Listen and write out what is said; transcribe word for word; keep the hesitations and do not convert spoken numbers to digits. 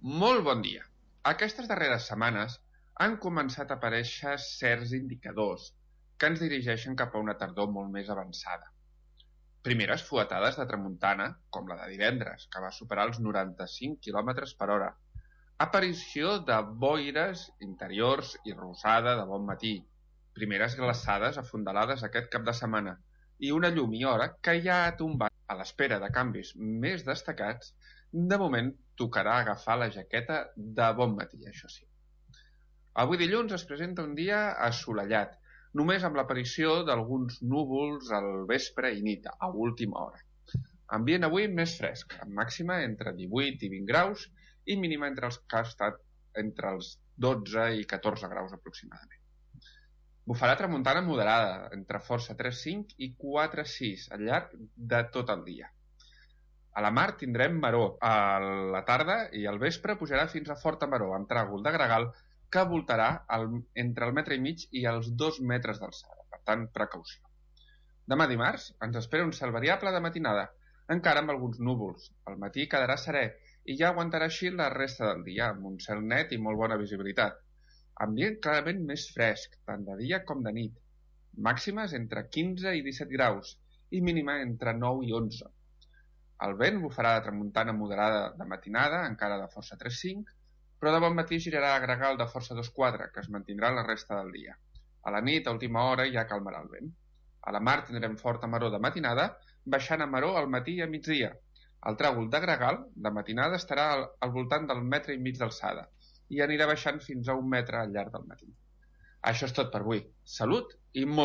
Molt bon dia. Aquestes darreres setmanes han començat a aparèixer certs indicadors que ens dirigeixen cap a una tardor molt més avançada. Primeres fuetades de tramuntana, com la de divendres, que va superar els noranta-cinc quilòmetres per hora. Aparició de boires interiors i rosada de bon matí. Primeres glaçades afondalades aquest cap de setmana. I una llum i hora que ja ha tombat. A l'espera de canvis més destacats, de moment tocarà agafar la jaqueta de bon matí, això sí. Avui dilluns es presenta un dia assolellat, només amb l'aparició d'alguns núvols al vespre i nit, a última hora. Ambient avui més fresc, amb màxima entre divuit i vint graus i mínima entre els que ha estat entre els dotze i catorze graus aproximadament. Bufarà tramuntana moderada, entre força tres coma cinc i quatre coma sis al llarg de tot el dia. A la mar tindrem maror. A la tarda i al vespre pujarà fins a forta maror, amb tràgol de gregal que voltarà el, entre el metre i mig i els dos metres d'alçada. Per tant, precaució. Demà dimarts ens espera un cel variable de matinada, encara amb alguns núvols. Al matí quedarà serè i ja aguantarà així la resta del dia, amb un cel net i molt bona visibilitat. Ambient clarament més fresc, tant de dia com de nit. Màximes entre quinze i disset graus i mínima entre nou i onze. El vent bufarà de tramuntana moderada de matinada, encara de força tres coma cinc, però de bon matí girarà a gregal de força dos coma quatre, que es mantindrà la resta del dia. A la nit, a última hora, ja calmarà el vent. A la mar tindrem forta maror de matinada, baixant a maror al matí i a migdia. El tràgol de gregal de matinada estarà al, al voltant del metre i mig d'alçada i anirà baixant fins a un metre al llarg del matí. Això és tot per avui. Salut i molt